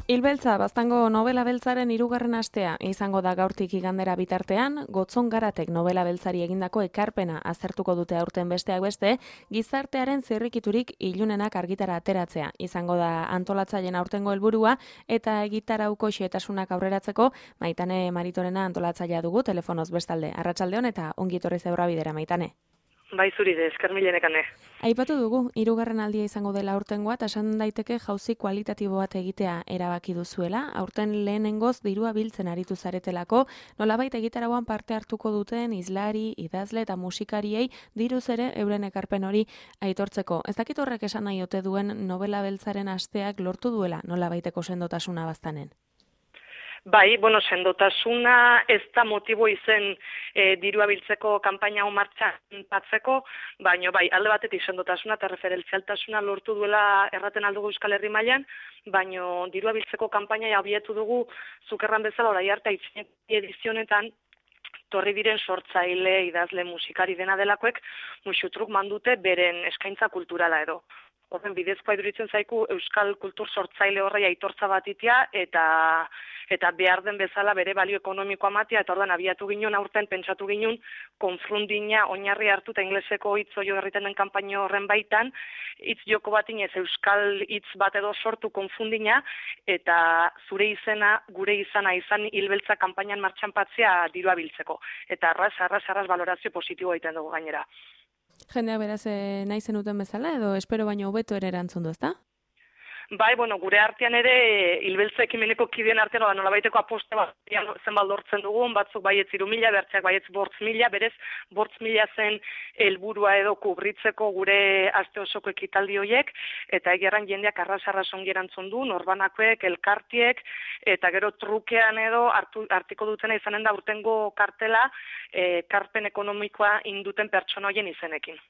Hilbeltza, Baztango novela beltzaren 3. astea izango da gaurtik igandera bitartean, Gotzon Garatek novela beltzari egindako ekarpena aztertuko dute aurten besteak beste, gizartearen zirrikiturik ilunenak argitara ateratzea izango da antolatzaileen aurtengo helburua eta egitarauko xehetasunak aurreratzeko Maitane Maritorena antolatzailea dugu telefonoz bestalde. Arratsaldeon eta ongi etorri zeurra bidera, Maitane. Bai zuri de, esker milenekane. Aipatu dugu, 3. aldia izango dela aurtengoa, eta esan daiteke jauzi kualitatibo bat egitea erabaki duzuela. Aurten lehenengoz dirua biltzen aritu zaretelako, nolabait egitarauan parte hartuko duten izlari, idazle eta musikariei diruz ere euren ekarpen hori aitortzeko. Ez dakit horrek esan nahi ote duen novela beltzaren asteak lortu duela nolabaiteko sendotasuna Baztanen. Bai, sendotasuna ez da motibo izen dirua biltzeko kanpaina hau martxan patzeko, baina bai, alde batetik sendotasuna eta referentzialtasuna lortu duela erraten aldugu Euskal Herri mailan, baina dirua biltzeko kanpaina abietu dugu zukerran bezala orai arte edizionetan torri diren sortzaile, idazle, musikari dena delakoek musutruk mandute beren eskaintza kulturala edo. Horren bidezkoa iduritzen zaiku Euskal kultur sortzaile horrei aitortza bat itea eta behar den bezala bere balio ekonomikoa matia, eta ordan abiatu ginen aurten pentsatu ginen konfrundina oinarri hartu eta ingleseko hitz oio herriten den kanpaino horren baitan, hitz joko bat inez Euskal hitz bat edo sortu konfundina, eta zure izena, gure izana izan hilbeltza kanpainan martxan patzea dirua biltzeko. Eta arras valorazio positibo egiten dugu gainera. Jendea beraz nahi zenuten bezala edo espero baino hobeto ere erantzun du, ezta? Bai, gure artean ere hilbeltza ekimeneko kideen artean nolabaiteko aposte bat zenbat lortzen dugun, batzuk baietz 3.000, bertzeak baietz 5.000, berez 5.000 zen helburua edo kubritzeko gure aste osoko ekitaldi horiek, eta egeran jendeak arras ongi erantzun du, norbanakoek, elkartiek, eta gero trukean edo artiko dutena izanen da urtengo kartela, karpen ekonomikoa induten pertsona horien izenekin.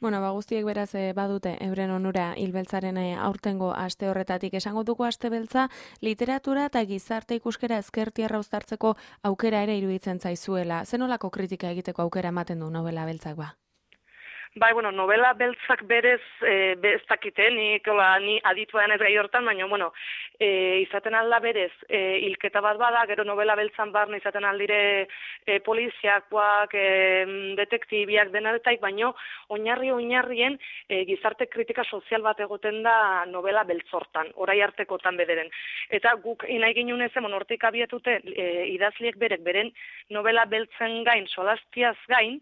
Guztiek beraz badute euren onura hilbeltzaren aurtengo aste horretatik. Esango dugu aste beltza literatura eta gizarte ikuskera ezkertiarra uztartzeko aukera ere iruditzen zaizuela. Zenolako kritika egiteko aukera ematen du novela beltzak ba? Bai, novela beltzak berez ez dakite, ni aditua denez gai hortan, baina, izaten alda berez, hilketa bat bada, gero novela beltzan barne izaten aldire poliziakoak, detektibiak denaretaik, baina oinarrien gizarte kritika sozial bat egoten da novela beltzortan, orai artekotan bederen. Eta guk nahi ginen ezen, hortik abietute idazliek berek, beren novela beltzen gain, solastiaz gain,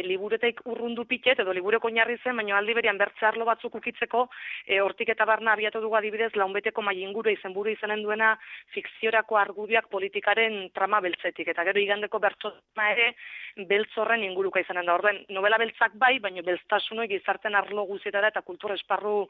liburetek urrundu pitet, edo libureko oinarri zen, baina aldi berian bertze arlo batzuk ukitzeko, hortik eta barna abiatu dugu adibidez, launbeteko mai inguru izenburu izanen duena fikziorako argudioak politikaren trama beltzetik, eta gero igandeko bertsona ere beltzorren inguruka izanen da. Orden, novela beltzak bai, baina beltztasunoi gizarten arlo guzietara eta kultur esparru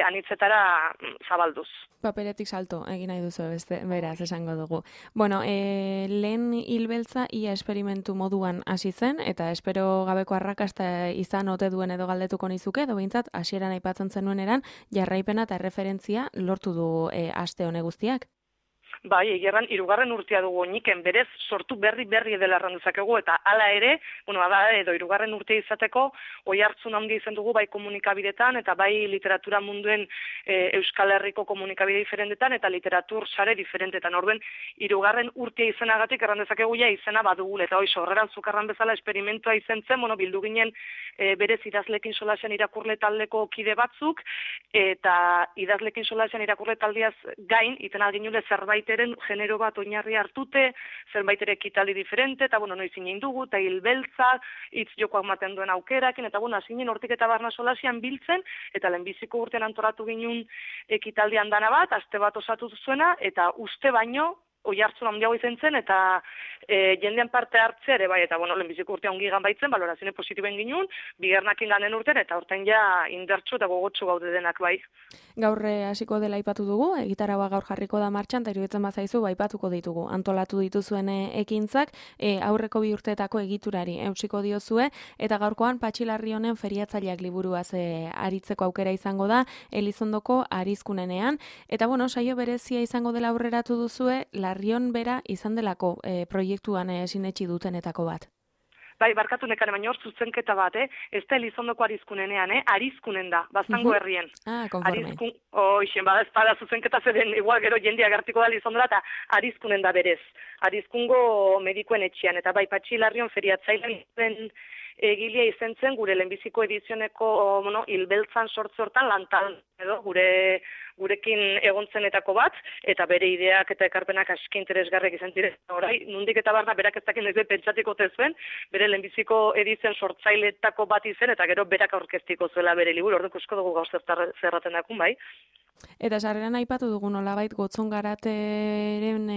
anitzetara zabalduz. Paperetik salto, egin nahi duzu beraz, esango dugu. Lehen hilbeltza ia esperimentu moduan hasi zen, eta espero gabeko arrakasta izan ote duen edo galdetuko nizuke, edo behintzat hasieran aipatzen zenuen eran, jarraipena eta referentzia lortu du aste hone guztiak? Bai, egerran 3. urtea dugu oiniken, berez sortu berri edela erran dezakegu, eta hala ere, edo 3. urtea izateko, oi hartzun handi izan dugu bai komunikabidetan, eta bai literatura munduen Euskal Herriko komunikabide diferentetan, eta literatur sare diferentetan. Orduen, 3. urtea izanagatik erran dezakegu ja izena badugul, eta hoi sorreran zukarran bezala esperimentua izen zen, bildu ginen berez idazlekin solasean irakurle taldeko kide batzuk, eta idazlekin solasean irakurle taldeaz gain, iten alginule zerbaiteren genero bat oinarri hartute, zerbaitere ekitaldi diferente, eta noiz inen dugu, eta hilbeltza, hitz jokoak maten duen aukerakin, eta azinen hortik eta barna solasian biltzen, eta lehenbiziko urtean antolatu ginen ekitaldian dana bat, aste bat osatu zuena, eta uste baino, oi hartzun handiago izan zen, eta jendean parte hartzea ere bai, eta lehenbiziko urtean ongi gan baitzen, balorazioen positiben ginen, bigernakin ganen urtean, eta urtean ja indartsu eta gogotsu gaude denak bai. Gaur hasiko dela aipatu dugu, egitaraua gaur jarriko da martxan, eta iruditzen bazaizu aipatuko ditugu. Antolatu dituzuen ekintzak, aurreko 2 urteetako egiturari eutsiko diozue, eta gaurkoan Patxi Larrionen feriatzaileak liburuaz aritzeko aukera izango da, Elizondoko Arizkunenean, eta saio berezia izango dela aurreratu duzue, Larrion bera izan delako proiektuan sinetsi dutenetako bat. Bai, barkatu nekane, baina hor zuzenketa bat, ez da Elizondoko arizkunenean, arizkunen da, Baztango herrien. Konforme. Ez da zuzenketa zeren, igual gero jendia gertiko da Elizondora, eta arizkunen da berez. Arizkungo medikuen etxean, eta bai, Patxi Larrion feriatzailean egilia izen zen gure lehenbiziko edizioneko hilbeltzan sortze hortan lantan edo gurekin egontzenetako bat, eta bere ideak eta ekarpenak aski interesgarriak izan ziren. Orai, nundik eta barna berak ez dakin ez pentsatiko zuen, bere lehenbiziko edizion sortzailetako bat izen, eta gero berak aurkeztiko zuela bere liburu, orduko esko dugu gauz zerraten dakun, bai. Eta sarreran aipatu dugu nolabait Gotzon Garateren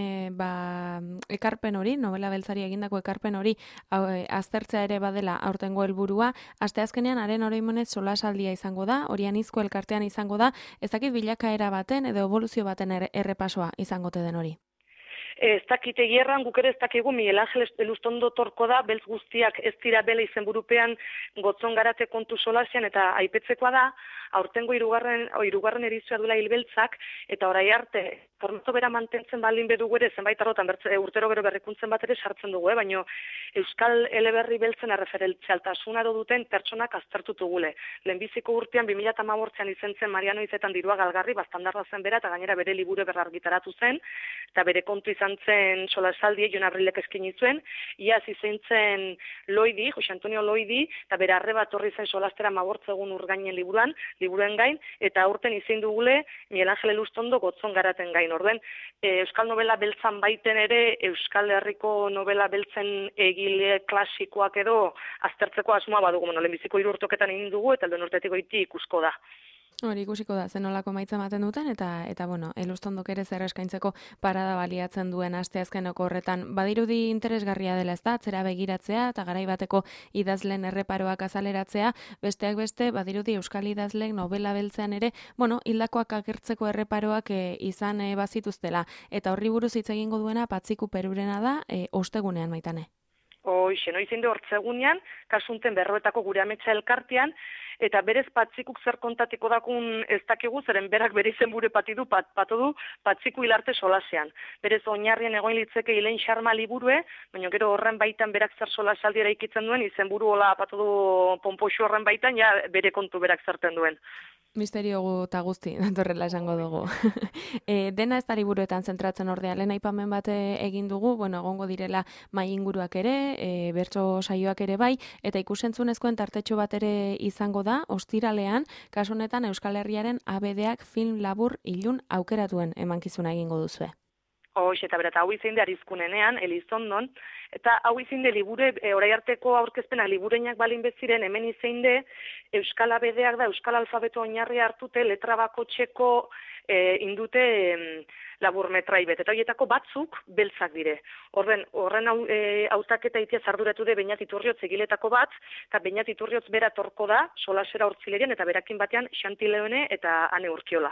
ekarpen hori, novela beltzari egindako ekarpen hori aztertzea ere badela aurtengo helburua. Asteazkenean haren oroimenez solasaldia izango da, Orian Izko elkartean izango da, ez dakit bilakaera baten edo eboluzio baten errepasoa izango te den hori. Ez dakit egierran, guk ere ez dakigu Miguel Ángel Elustondo torko da, beltz guztiak ez dira bela izenburupean Gotzon Garate kontu solasean, eta aipetzekoa da, aurtengo hirugarren edizioa duela hilbeltzak, eta orai arte, formato bera mantentzen baldin bedugu ere, zenbait arrotan, urtero gero berrikuntzen bat ere sartzen dugu, baina Euskal Eleberri beltzen erreferentzialtasuna duten pertsonak aztertutu gule. Lehenbiziko urtean, 2018an izen zen Mariano Izetan dirua galgarri, bastandarra zen bera, eta gainera bere liburu berrargitaratu zen, eta bere kontu izan zen solasaldi, Jon Abrilek eskaini zuen, iaz izan zen Loidi, Jose Antonio Loidi, eta bere arreba torri zen solastera mabortzegun urgainen liburuen gain, eta aurten izin dugule Miguel Ángel Elustondo Gotzon Garaten gain. Orden, Euskal Novela beltzan baiten ere, Euskal Herriko novela beltzen egile klasikoak edo aztertzeko asmoa badugu, lehenbiziko 3 urteetan egin dugu, eta lehen urtetik goiti ikusko da. Hori ikusiko da, zenolako maitza ematen duten, eta Elustondok ere zer eskaintzeko parada baliatzen duen asteazkeneko horretan. Badirudi interesgarria dela ez da, atzera begiratzea, eta garai bateko idazleen erreparoak azaleratzea, besteak beste, badirudi Euskal idazleek novela beltzean ere, hildakoak agertzeko erreparoak izan bazituztela. Eta horri buruz hitz egingo duena Patxiku Perurena da, ostegunean Maitane. Noizein du hortzegunean, kasunten berroetako gure ametsa elkartean, eta berez Patxikuk zer kontatiko dakun ez dakigu, zeren berak bere izenburu patu du Patxiku hilarte solasean. Berez oinarrien egoin litzeke Ilein Xarma liburue, baina gero horren baitan berak zer solasaldi eraikitzen duen, izenburu hola patu du ponpoxu horren baitan, ja bere kontu berak zerten duen. Misterio eta guzti, datorrela esango dugu. Dena ez da liburuetan zentratzen ordea, lehen aipamen bat egin dugu, egongo direla mai inguruak ere, bertso saioak ere bai, eta ikusentzunezkoen tartetxo bat ere izango da, ostiralean, kasu honetan Euskal Herriaren ABD-ak film labur ilun aukeratuen emankizuna egingo duzue. Eta bera, hau izin de arizkunenean, Elizondon, eta hau izin de libure, orai arteko aurkezpena libureinak balin beziren, hemen izin de Euskal ABD-ak da, Euskal alfabeto oinarri hartute, letra bakotxeko indute laburmetrai bet, eta horietako batzuk beltzak dire. Horren hautaketa itia zarduratu de Beñat Iturriotz egiletako bat, eta Beñat Iturriotz bera torko da, solasera hortzilerian, eta berakin batean Xanti Leone eta Ane Urkiola.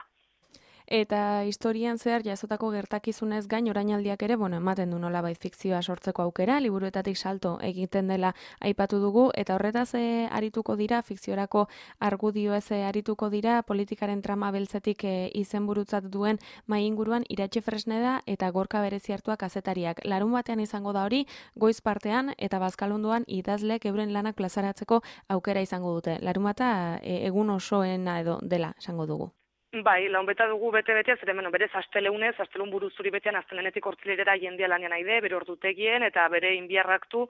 Eta historian zehar jasotako gertakizunez gain orainaldiak ere, ematen du nolabait fikzioa sortzeko aukera, liburuetatik salto egiten dela aipatu dugu, eta horretaz arituko dira, fikziorako argudioez arituko dira, politikaren trama beltzetik izenburutzat duen mai inguruan Iratxe Fresneda eta Gorka Bereziartuak kazetariak. Larun batean izango da hori, goiz partean eta bazkalondoan idazleek euren lanak plazaratzeko aukera izango dute. Larun bata egun osoena edo dela esango dugu. Bai, launbeta dugu bete-betea, zeren berez astelun buruzuri betean astelenetik hortzilerera jendia lanian aide, bere ordutegien eta bere inbiarraktu,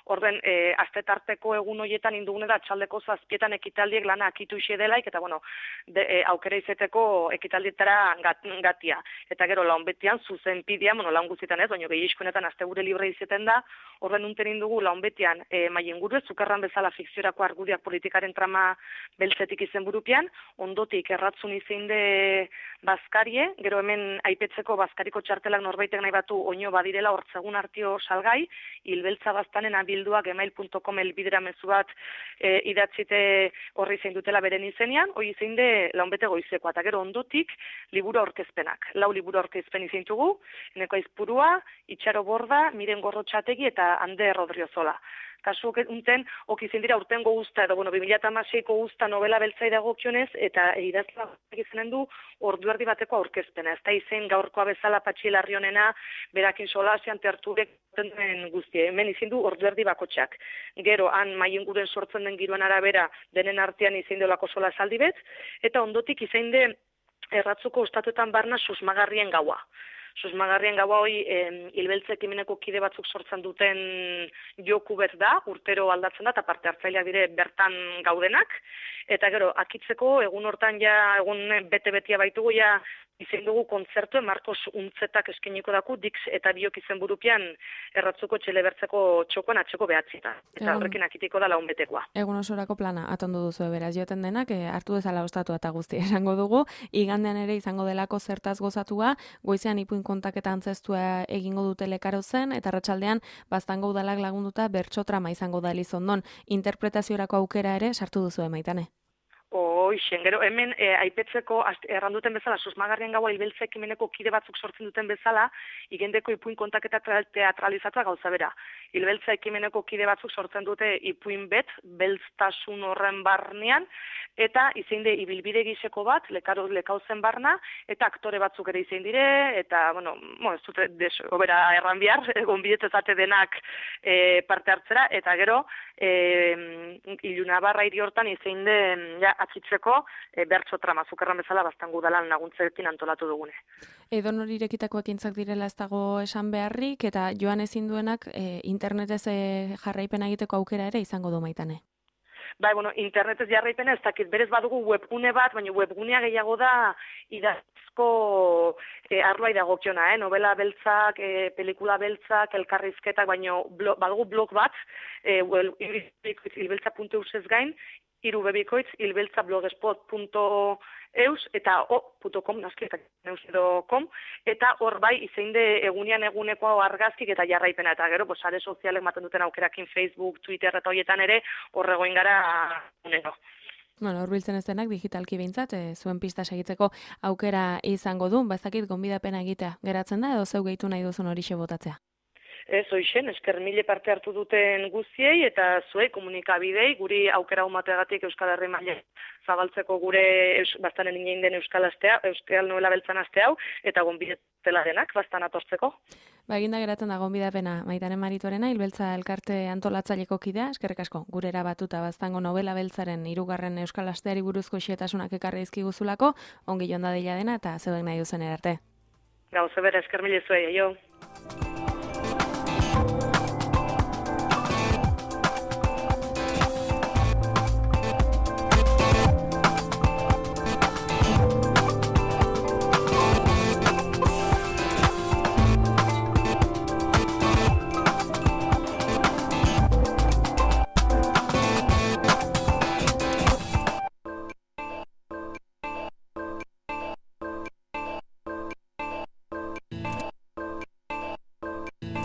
orden astetarteko egun horietan indugune da txaldeko 7etan ekitaldiek lana akitu ise delaik, eta aukera izeteko ekitaldietara gatia. Eta gero launbetian zuzenpidea, laun guztietan ez, baina gehiagoetan astegure libre izeten da, orden unten indugu launbetian maien guru, zukarran bezala fikziorako argudiak politikaren trama beltzetik izenburupean, ondotik erratzun izin bazkarie, gero hemen aipetzeko bazkariko txartelak norbaitek nahi batu oino badirela hortzegun artio salgai, hilbeltza baztanen abilduak gmail.com elbidera mezu bat idatzite horri zein dutela beren izenean, hori zein de launbete goizekoa, eta gero ondotik liburu aurkezpenak. 4 liburu aurkezpen izintugu, Eneko Aizpurua, Itxaro Borda, Miren Gorrotxategi eta Ander Rodriozola. kasu unten, okizien dira urtengo guzta, edo, 2016ko guzta novela beltzai dagokionez, eta idazla izanen du ordu erdi bateko aurkezpena. Ez da izen gaurkoa bezala Patxi Larrionena, berakin solasean terturek den guztie. Hemen izin du ordu erdi bakotxak. Gero, han maienguren sortzen den giroan arabera, denen artean izin deolako sola esaldi bet, eta ondotik izin de erratzuko ustatuetan barna susmagarrien gaua. Susmagarrien gaua hori hilbeltza ekimeneko kide batzuk sortzen duten joku bet da, urtero aldatzen da, eta parte hartzaileak dire bertan gaudenak. Eta gero, akitzeko, egun hortan ja, egun bete-betia baitugu, ja, izen dugu kontzertu, Marcos Untzetak eskeniko daku, Dix eta Biok izen burupian erratzuko txelebertzeko txokoan atxeko behatzita. Eta horrekin akitiko da laun betekoa. Egun osorako plana atondu duzu beraz joten denak, hartu dezala ostatu eta guzti esango dugu, igandean ere izango delako zertaz gozatua, goizean ipuin kontaketa antzestua egingo dute lekaro zen, eta arratsaldean baztango udalak lagunduta bertsotrama izango da Elizondon. Interpretaziorako aukera ere sartu duzu Maitane. Hoixen, gero hemen aipetzeko erranduten bezala, susmagarrien gaua hilbeltza ekimeneko kide batzuk sortzen duten bezala, igendeko ipuin kontaketa teatralizatua gauza bera. Hilbeltza ekimeneko kide batzuk sortzen dute ipuin bet, beltztasun horren barnean, eta izein de ibilbide giseko bat, lekauzen barna, eta aktore batzuk ere izein dire, eta, ez dute obera erran bihar, gonbidetezate denak parte hartzera, eta gero, Ilunabarra hiri hortan izein de atzitzeko bertso trama, zukerran bezala baztangu dalan laguntzekin antolatu dugune. Edo nori irekitako ekintzak direla ez dago esan beharrik, eta joan ezin duenak internetez jarraipena egiteko aukera ere izango du Maitane. Bai, internetez jarraipena ez dakit, berez badugu webgune bat, baina webgunea gehiago da idazko arloai dagokiona, novela beltzak, pelikula beltzak, elkarrizketak, baina badugu blog bat, ilbeltza.eus ez gain, irubebikoitz ilbeltzablogspot.eus eta .com, eta hor bai izein de egunean eguneko argazkik eta jarraipena, eta gero, sare sozialek maten duten aukerakin Facebook, Twitter eta horietan ere horregoin gara unero. Horbiltzen ez denak digitalki behintzat, zuen pista segitzeko aukera izango du, bazakit gonbidapena egitea geratzen da, edo zeu gehitu nahi duzun horixe botatzea. Ez, hoixen, esker mile parte hartu duten guztiei eta zuei komunikabidei, guri aukera humateagatik Euskal Herri maila zabaltzeko gure bastanen inen den Euskal Novela Beltzan aste hau, eta gonbidetela denak bastan atortzeko. Eginda geratzen da gonbidapena Maitane Maritorena, Hilbeltza elkarte antolatzaileko kidea, eskerrik asko, gurera batuta baztango novela beltzaren 3. Euskal Asteari buruzko xehetasunak ekarri dizkiguzulako, ongi joan dadila dena eta zeuden nahi duzen erarte. Gauze bera, esker mile zuei, jo.